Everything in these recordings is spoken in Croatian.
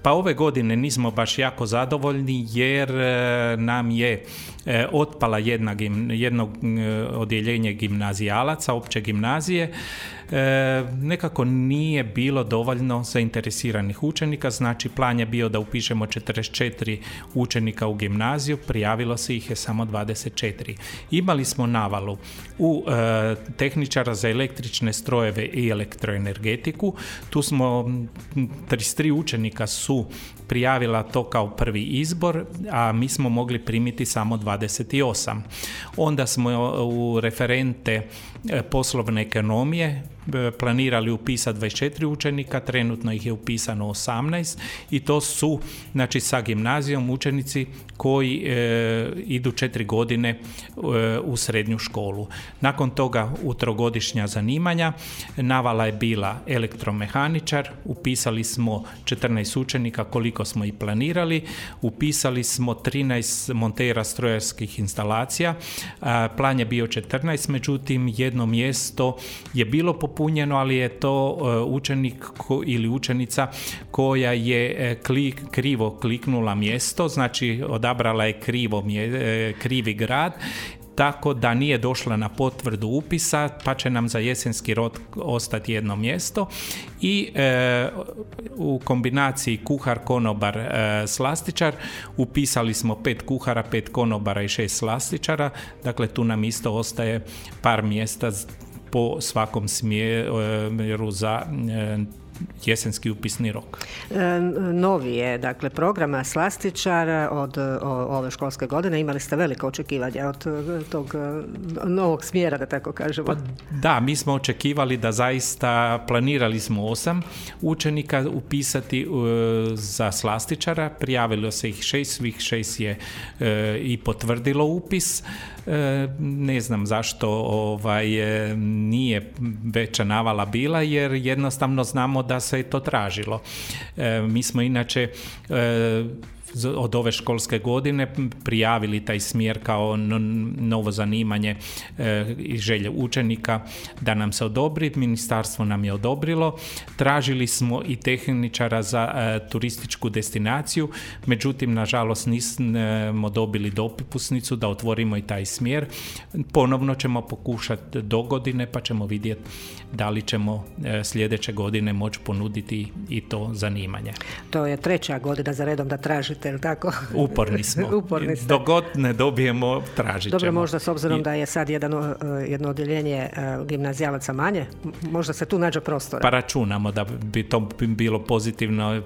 Pa ove godine nismo baš jako zadovoljni jer nam je otpala jedno odjeljenje gimnazijalaca, opće gimnazije. Nekako nije bilo dovoljno zainteresiranih učenika, znači plan je bio da upišemo 44 učenika u gimnaziju, prijavilo se ih je samo 24. Imali smo navalu u tehničara za električne strojeve i elektroenergetiku, tu smo 33 učenika su prijavila to kao prvi izbor, a mi smo mogli primiti samo 28. Onda smo u referente poslovne ekonomije planirali upisati 24 učenika, trenutno ih je upisano 18 i to su, znači, sa gimnazijom učenici koji idu 4 godine u srednju školu. Nakon toga u trogodišnja zanimanja navala je bila elektromehaničar, upisali smo 14 učenika koliko smo i planirali, upisali smo 13 montera strojarskih instalacija, plan je bio 14, međutim jedno mjesto je bilo popunjeno, ali je to učenik ili učenica koja je krivo kliknula mjesto, znači odabrala je krivi grad, tako da nije došla na potvrdu upisa, pa će nam za jesenski rok ostati jedno mjesto i u kombinaciji kuhar, konobar, slastičar upisali smo 5 kuhara, 5 konobara i 6 slastičara, dakle tu nam isto ostaje par mjesta po svakom smjeru za jesenski upisni rok. Novi je, dakle, programa slastičara od ove školske godine. Imali ste velika očekivanja od tog novog smjera, da tako kažemo. Pa, da, mi smo očekivali da zaista, planirali smo 8 učenika upisati za slastičara, prijavilo se ih 6, svih 6 je i potvrdilo upis. Ne znam zašto nije veća navala bila, jer jednostavno znamo da se je to tražilo. Mi smo inače od ove školske godine prijavili taj smjer kao novo zanimanje i želje učenika da nam se odobri. Ministarstvo nam je odobrilo. Tražili smo i tehničara za turističku destinaciju, međutim, nažalost, nismo dobili dopusnicu da otvorimo i taj smjer. Ponovno ćemo pokušati do godine, pa ćemo vidjeti da li ćemo sljedeće godine moći ponuditi i to zanimanje. To je 3. godina za redom da tražite, ili tako? Uporni smo. Uporni ste. Dok god ne dobijemo, tražit ćemo. Dobro, možda s obzirom da je sad jedno odjeljenje gimnazijalaca manje, možda se tu nađe prostora. Pa računamo da bi to bilo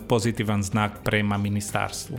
pozitivan znak prema ministarstvu.